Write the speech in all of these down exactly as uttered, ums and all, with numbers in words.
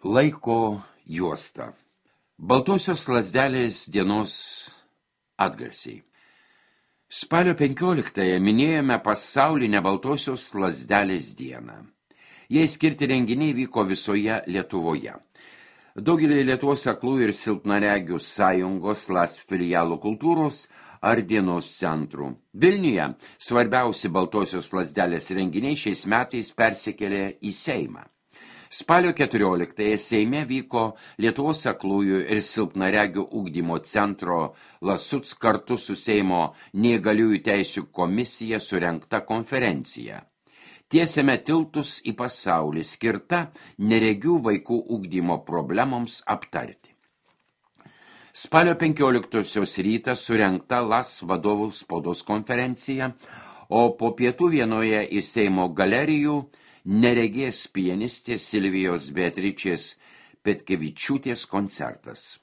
Laiko juosta. Baltosios lazdelės dienos atgarsiai. Spalio penkioliktąją minėjome pasaulinę Baltosios lazdelės dieną. Jai skirti renginiai vyko visoje Lietuvoje. Daugelį Lietuvos aklųjų ir silpnaregių sąjungos LASP filialų kultūros ar dienos centrų. Vilniuje svarbiausi Baltosios lazdelės renginiai šiais metais persikėlė į Seimą. Spalio keturioliktąją Seime vyko Lietuvos aklųjų ir silpnaregių ugdymo centro LASUC kartu su Seimo neįgaliųjų teisių komisija surengta konferencija. Tiesiame tiltus į pasaulį skirta neregių vaikų ugdymo problemoms aptarti. Spalio penkioliktosios rytą surengta LAS vadovų spaudos konferencija, o po pietų vienoje iš Seimo galerijų neregės pianistės Silvijos Beatričės Petkevičiūtės koncertas.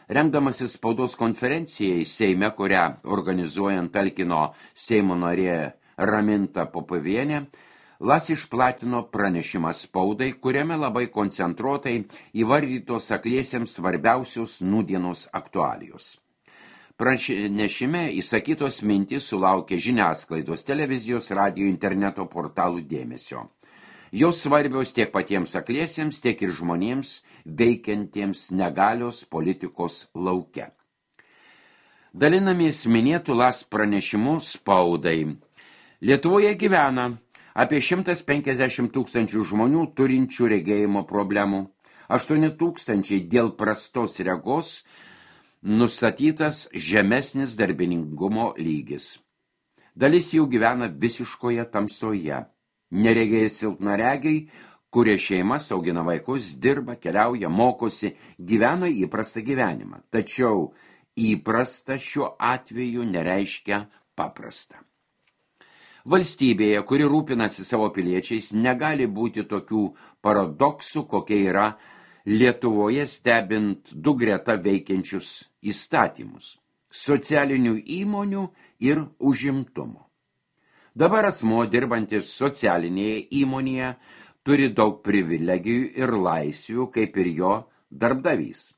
Rengdamasis spaudos konferencijai Seime, kurią organizuojant talkino Seimo narė Raminta Popovienė, LAS išplatino pranešimą spaudai, kuriame labai koncentruotai įvardytos akliesiems svarbiausios nūdienos aktualijos. Pranešime įsakytos mintys sulaukė žiniasklaidos, televizijos, radijo, interneto portalų dėmesio. Jos svarbios tiek patiems akliesiems, tiek ir žmonėms veikiantiems negalios politikos lauke. Dalinamės minėtų LAS pranešimu spaudai. Lietuvoje gyvena apie šimtas penkiasdešimt tūkstančių žmonių turinčių regėjimo problemų, aštuoni tūkstančiai dėl prastos regos nustatytas žemesnis darbiningumo lygis. Dalis jų gyvena visiškoje tamsoje. Neregėjai silpnaregiai, kurie šeimas, augina vaikus, dirba, keliauja, mokosi, gyvena įprastą gyvenimą. Tačiau įprasta šiuo atveju nereiškia paprasta. Valstybėje, kuri rūpinasi savo piliečiais, negali būti tokių paradoksų, kokie yra Lietuvoje stebint du greta veikiančius įstatymus – socialinių įmonių ir užimtumo. Dabar asmuo dirbantis socialinėje įmonėje turi daug privilegijų ir laisvių, kaip ir jo darbdavys.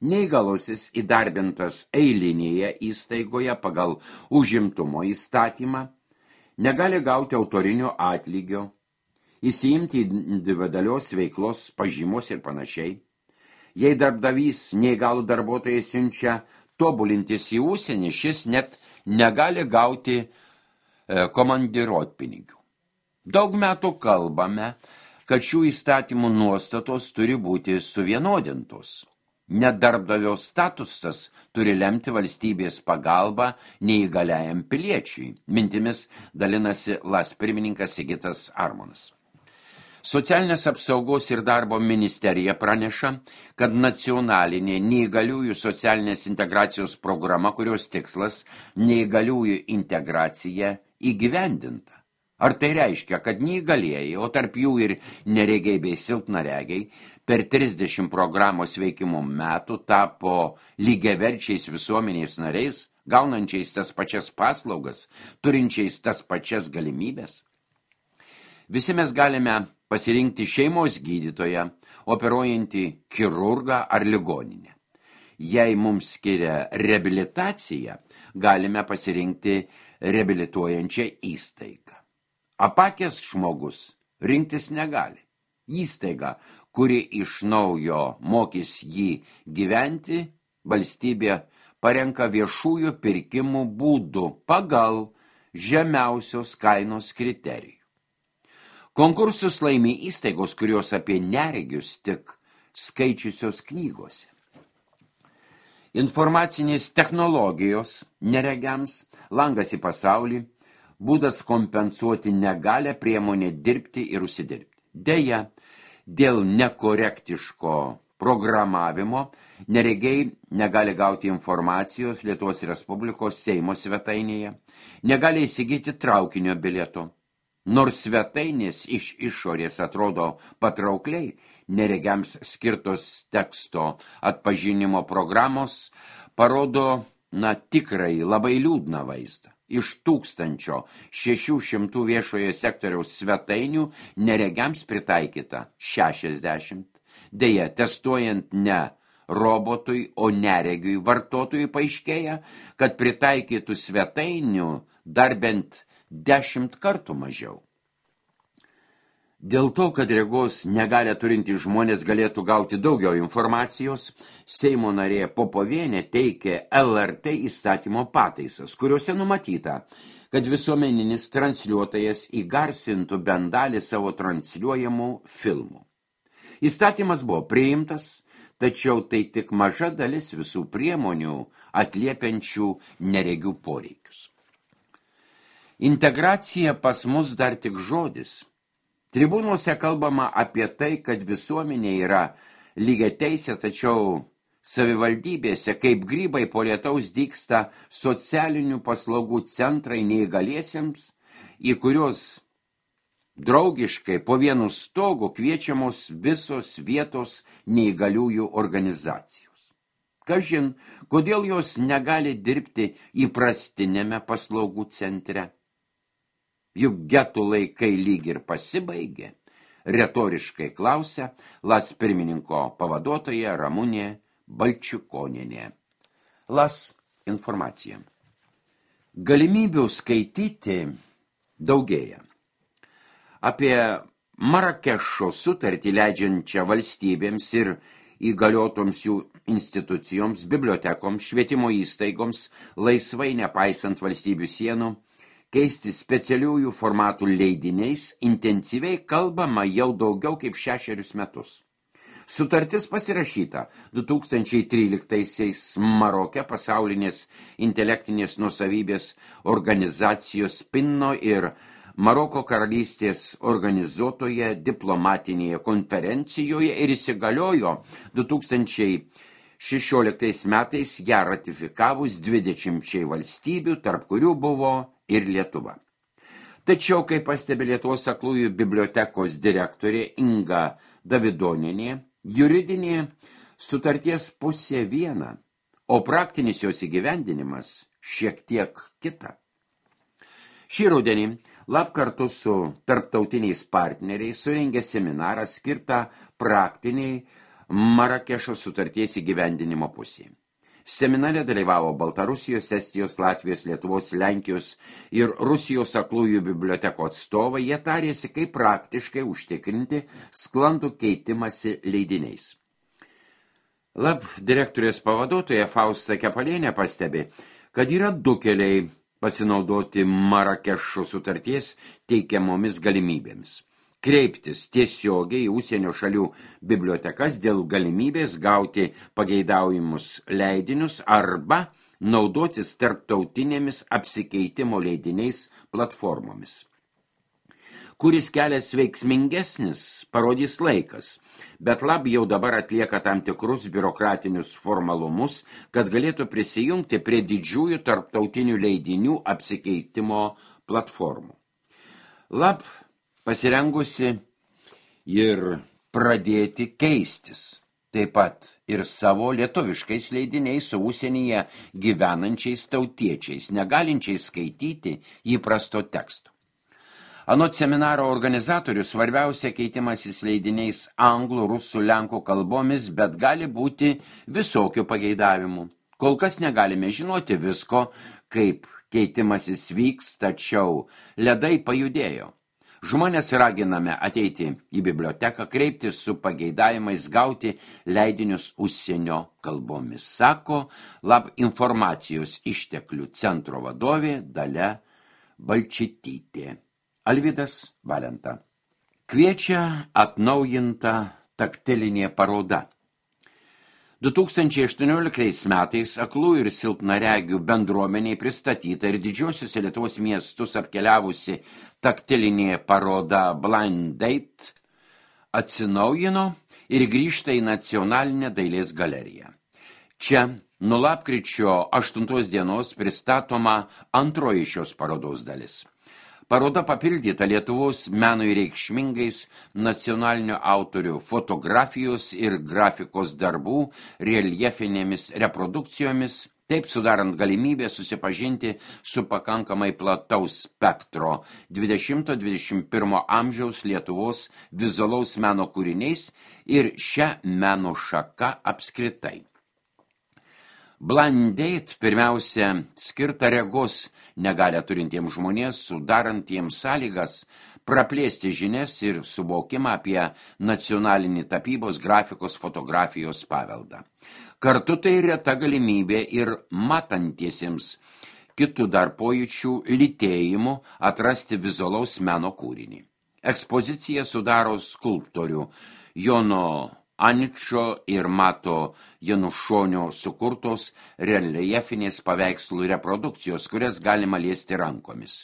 Neįgalusis įdarbintas eilinėje įstaigoje pagal užimtumo įstatymą negali gauti autorinio atlygio, įsiimti individualios veiklos pažymos ir panašiai. Jei darbdavys neįgalų darbuotojai siunčia tobulintis į užsienį, šis net negali gauti e, komandiruotpinigių. Daug metų kalbame, kad šių įstatymų nuostatos turi būti suvienodintos. Net darbdavio statusas turi lemti valstybės pagalbą neįgaliajam piliečiui. Mintimis dalinasi LAS pirmininkas Sigitas Armonas. Socialinės apsaugos ir darbo ministerija praneša, kad nacionalinė neįgaliųjų socialinės integracijos programa, kurios tikslas neįgaliųjų integracija įgyvendinta. Ar tai reiškia, kad neįgalieji, o tarp jų ir neregiai bei silpnaregiai, per trisdešimt programos veikimo metų tapo lygiaverčiais visuomenės nariais, gaunančiais tas pačias paslaugas, turinčiais tas pačias galimybės? Visi mes galime pasirinkti šeimos gydytoją, operuojantį chirurgą ar ligoninę. Jei mums skiria reabilitaciją, galime pasirinkti reabilituojančią įstaigą. Apakęs žmogus rinktis negali. Įstaiga, kuri iš naujo mokys jį gyventi, valstybė parenka viešųjų pirkimų būdų pagal žemiausios kainos kriterijų. Konkursus laimi įstaigos, kurios apie neregius tik skaičiusios knygose. Informacinės technologijos neregiams, langas į pasaulį, būdas kompensuoti negalę, priemonė dirbti ir užsidirbti. Deja, dėl nekorektiško programavimo neregiai negali gauti informacijos Lietuvos Respublikos Seimo svetainėje, negali įsigyti traukinio bilieto. Nors svetainės iš išorės atrodo patraukliai, neregiams skirtos teksto atpažinimo programos parodo, na, tikrai labai liūdną vaizdą. Iš tūkstančio šešių šimtų viešojo sektoriaus svetainių neregiams pritaikyta šešiasdešimt, Deja, testuojant ne robotui, o neregiui vartotojui paaiškėja, kad pritaikytų svetainių dar bent dešimt kartų mažiau. Dėl to, kad regos negalę turintys žmonės galėtų gauti daugiau informacijos, Seimo narė Popovienė teikė L R T įstatymo pataisas, kuriuose numatyta, kad visuomeninis transliuotojas įgarsintų bent dalį savo transliuojamų filmų. Įstatymas buvo priimtas, tačiau tai tik maža dalis visų priemonių atliepiančių neregių poreikius. Integracija pas mus dar tik žodis. Tribūnuose kalbama apie tai, kad visuomenė yra lygiateisė, tačiau savivaldybėse kaip grybai po lietaus dygsta socialinių paslaugų centrai neįgaliesiems, į kurios draugiškai po vienu stogu kviečiamos visos vietos neįgaliųjų organizacijos. Kažin, kodėl jos negali dirbti įprastinėme paslaugų centre? Juk getų laikai lyg ir pasibaigė, retoriškai klausia Las pirmininko pavaduotoja Ramunė Balčikonienė. Las informacija. Galimybių skaityti daugėja. Apie Marakešo sutartį leidžiančią valstybėms ir įgaliotoms jų institucijoms, bibliotekoms, švietimo įstaigoms, laisvai nepaisant valstybių sienų, keisti specialiųjų formatų leidiniais intensyviai kalbama jau daugiau kaip šešerius metus. Sutartis pasirašyta du tūkstančiai tryliktaisiais Maroke pasaulinės intelektinės nuosavybės organizacijos Pinno ir Maroko karalystės organizuotoje diplomatinėje konferencijoje ir įsigaliojo du tūkstančiai šešioliktais metais ją ratifikavus dvidešimčiai valstybių, tarp kurių buvo ir Lietuva. Tačiau, kaip pastebi Lietuvos aklųjų bibliotekos direktorė Inga Davidonienė, juridinė sutarties pusė viena, o praktinis jos įgyvendinimas šiek tiek kita. Šį rudenį Lab kartu su tarptautiniais partneriais surengė seminarą skirtą praktiniai Marakešo sutarties įgyvendinimo pusė. Seminare dalyvavo Baltarusijos, Estijos, Latvijos, Lietuvos, Lenkijos ir Rusijos aklųjų bibliotekų atstovai. Jie tarėsi, kaip praktiškai užtikrinti sklandų keitimąsi leidiniais. Lab direktorės pavaduotoja Fausta Kepalienė pastebi, kad yra du keliai pasinaudoti Marakešo sutarties teikiamomis galimybėmis. Kreiptis tiesiogiai į užsienio šalių bibliotekas dėl galimybės gauti pageidaujamus leidinius arba naudotis tarptautinėmis apsikeitimo leidiniais platformomis. Kuris kelias veiksmingesnis, parodys laikas, bet Lab jau dabar atlieka tam tikrus biurokratinius formalumus, kad galėtų prisijungti prie didžiųjų tarptautinių leidinių apsikeitimo platformų. Lab pasirengusi ir pradėti keistis, taip pat ir savo lietuviškais leidiniais su užsienyje gyvenančiais tautiečiais, negalinčiais skaityti įprasto teksto. Anot seminaro organizatorių svarbiausia keitimasis leidiniais anglų, rusų, lenkų kalbomis, bet gali būti visokių pageidavimų. Kol kas negalime žinoti visko, kaip keitimasis vyks, tačiau ledai pajudėjo. Žmonės raginame ateiti į biblioteką, kreiptis su pageidavimais gauti leidinius užsienio kalbomis, sako Lab informacijos išteklių centro vadovė Dalia Balčytytė. Alvydas Valenta. Kviečia atnaujinta taktilinė paroda. du tūkstančiai aštuonioliktais metais aklų ir silpnaregių bendruomeniai pristatyta ir didžiosiuose Lietuvos miestus apkeliavusi taktilinė paroda Blind Date atsinaujino ir grįžta į nacionalinę dailės galeriją. Čia nuo lapkričio aštuntos dienos pristatoma antroji šios parodos dalis. Paroda papildyta Lietuvos menui reikšmingais nacionalinio autorių fotografijos ir grafikos darbų reljefinėmis reprodukcijomis, taip sudarant galimybę susipažinti su pakankamai plataus spektro dvidešimto dvidešimt pirmo amžiaus Lietuvos vizualaus meno kūriniais ir šią meno šaką apskritai. Blind date pirmiausia skirta regos negalią turintiems žmonės, sudarantiems sąlygas praplėsti žinias ir suvokimą apie nacionalinį tapybos, grafikos, fotografijos paveldą. Kartu tai reta galimybė ir matantiesiems kitų dar pojūčių lytėjimų atrasti vizualaus meno kūrinį. Ekspozicija sudaro skulptorių Jono Aničo ir Mato Janušonio sukurtos reljefinės paveikslų reprodukcijos, kurias galima liesti rankomis.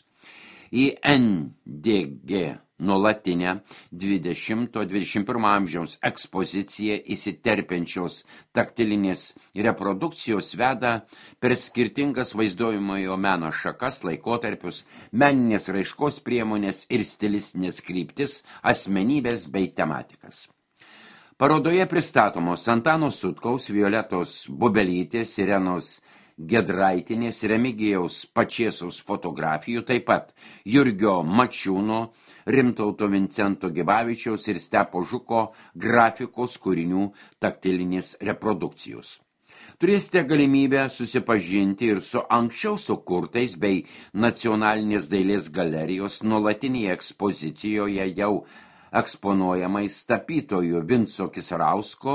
Į N D G nuolatinę dvidešimto dvidešimt pirmo amžiaus ekspoziciją įsiterpiančios taktilinės reprodukcijos veda per skirtingas vaizduojamojo meno šakas, laikotarpius, meninės raiškos priemonės ir stilistinės kryptis, asmenybės bei tematikas. Parodoje pristatomos Antano Sutkaus, Violetos Bubelytės, Irenos Gedraitinės, Remigijaus Pačėsaus fotografijų, taip pat Jurgio Mačiūno, Rimtauto Vincento Gibavičiaus ir Stepo Žuko grafikos kūrinių taktilinės reprodukcijos. Turėsite galimybę susipažinti ir su anksčiau sukurtais bei Nacionalinės dailės galerijos nuolatinėje ekspozicijoje jau eksponuojamais tapytojų Vinco Kisarausko,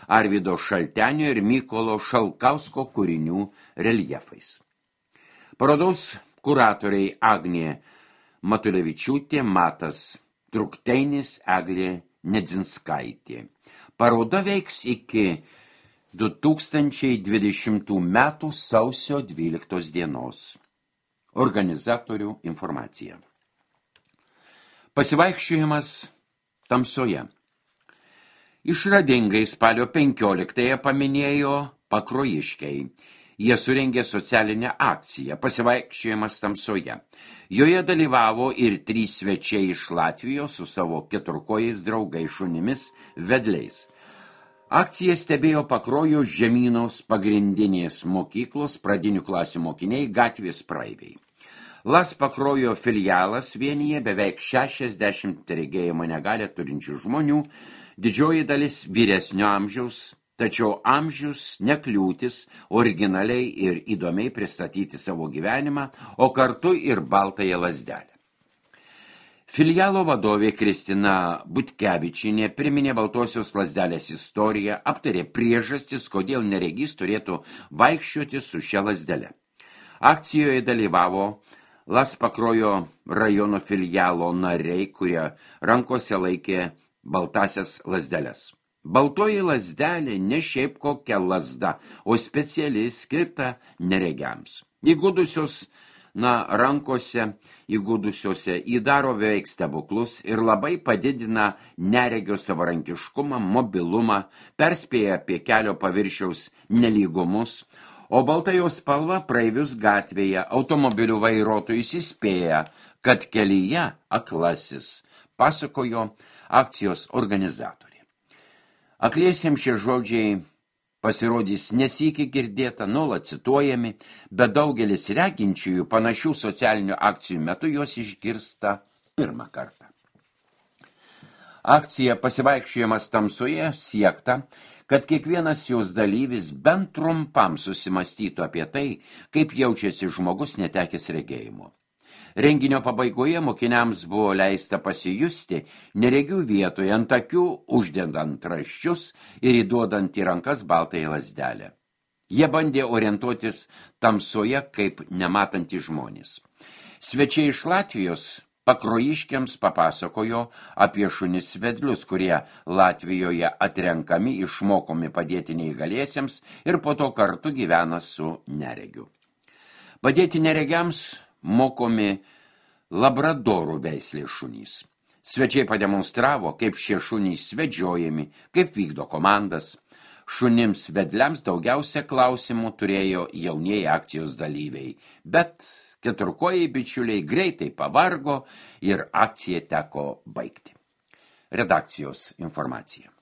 Arvydo Šaltenio ir Mykolo Šalkausko kūrinių reljefais. Parodos kuratoriai Agnė Matulevičiūtė, Matas Trukteinis, Eglė Nedzinskaitė. Paroda veiks iki du tūkstančiai dvidešimtų metų sausio dvyliktos dienos. Organizatorių informacija. Pasivaikščiojimas tamsoje. Išradingai spalio penkioliktąją paminėjo pakruojiškiai. Jie surengė socialinę akciją Pasivaikščiojimas tamsoje. Joje dalyvavo ir trys svečiai iš Latvijos su savo keturkojais draugais šunimis vedliais. Akciją stebėjo Pakruojo žemynos pagrindinės mokyklos pradinių klasių mokiniai, gatvės praeiviai. Las Pakruojo filialas vienyje beveik šešiasdešimt regėjimo negalią turinčių žmonių, didžioji dalis vyresnio amžiaus, tačiau amžius nekliūtis originaliai ir įdomiai pristatyti savo gyvenimą, o kartu ir baltąją lazdelę. Filialo vadovė Kristina Butkevičienė priminė baltosios lazdelės istoriją, aptarė priežastis, kodėl neregys turėtų vaikščioti su šia lazdele. Akcijoje dalyvavo Las Pakruojo rajono filialo nariai, kurie rankose laikė baltasias lazdeles. Baltoji lazdelė ne šiaip kokia lazda, o speciali skirta neregiams. Įgudusios, na, rankose įgudusiose įdaro beveik stebuklus ir labai padidina neregio savarankiškumą, mobilumą, perspėja apie kelio paviršiaus nelygumus, o balta jos spalva praeivius gatvėje automobilių vairuotojus įspėja, kad kelyje aklasis, pasakojo akcijos organizatoriai. Akliesiems šie žodžiai pasirodys nesykį girdėta, nuolat cituojami, bet daugelis reginčiųjų panašių socialinių akcijų metu jos išgirsta pirmą kartą. Akcija Pasivaikščiojimas tamsoje siekta, kad kiekvienas jos dalyvis bent trumpam susimastytų apie tai, kaip jaučiasi žmogus netekęs regėjimo. Renginio pabaigoje mokiniams buvo leista pasijusti neregių vietoje ant akių, uždedant raščius ir įduodant į rankas baltąją lazdelę. Jie bandė orientuotis tamsoje kaip nematantys žmonės. Svečiai iš Latvijos pakruojiškiams papasakojo apie šunis vedlius, kurie Latvijoje atrenkami, išmokomi padėti neįgaliesiems ir po to kartu gyvena su neregiu. Padėti neregiams mokomi labradorų veislės šunys. Svečiai pademonstravo, kaip šie šunys vedžiojami, kaip vykdo komandas. Šunims vedliams daugiausia klausimų turėjo jaunieji akcijos dalyviai, bet keturkojai bičiuliai greitai pavargo ir akciją teko baigti. Redakcijos informacija.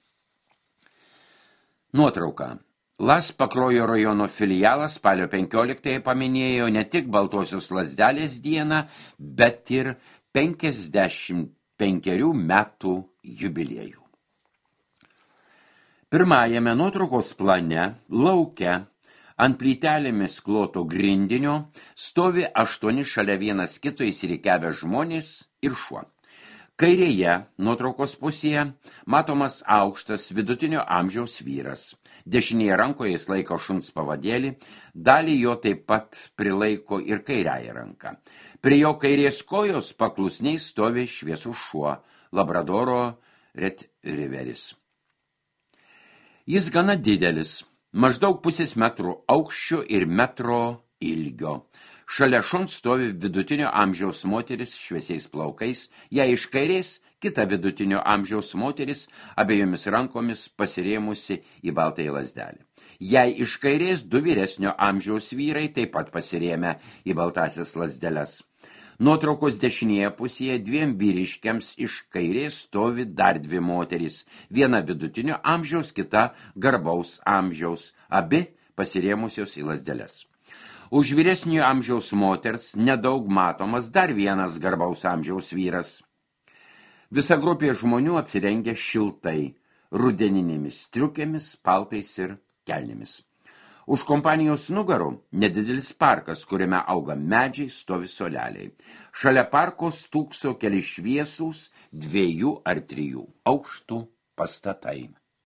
Nuotrauka. Las Pakruojo rajono filialas spalio penkioliktąją paminėjo ne tik baltosios lazdelės dieną, bet ir penkiasdešimt penkerių metų jubiliejų. Pirmajame nuotraukos plane, lauke, ant plytelėmis kloto grindinio stovi aštuoni šalia vienas kito įsirikiavę žmonės ir šuo. Kairėje nuotraukos pusėje matomas aukštas vidutinio amžiaus vyras. Dešinėje rankoje jis laiko šuns pavadėlį, dalį jo taip pat prilaiko ir kairiąją ranką. Prie jo kairės kojos paklusniai stovi šviesus šuo, labradoro retrieveris. Jis gana didelis, maždaug pusės metrų aukščio ir metro ilgio. Šalia šuns stovi vidutinio amžiaus moteris šviesiais plaukais, jai iš kairės kita vidutinio amžiaus moteris abiejomis rankomis pasirėmusi į baltąją lazdelę. Jai iš kairės du vyresnio amžiaus vyrai taip pat pasirėmę į baltąsias lazdeles. Nuotraukos dešinėje pusėje dviem vyriškiams iš kairės stovi dar dvi moterys, viena vidutinio amžiaus, kita garbaus amžiaus, abi pasirėmusios į lazdeles. Už vyresnio amžiaus moters nedaug matomas dar vienas garbaus amžiaus vyras. Visa grupė žmonių apsirengia šiltai, rudeninėmis striukėmis, paltais ir kelnėmis. Už kompanijos nugarų nedidelis parkas, kuriame auga medžiai, stovi soleliai. Šalia parko stūkso keli šviesūs dviejų ar trijų aukštų pastatai.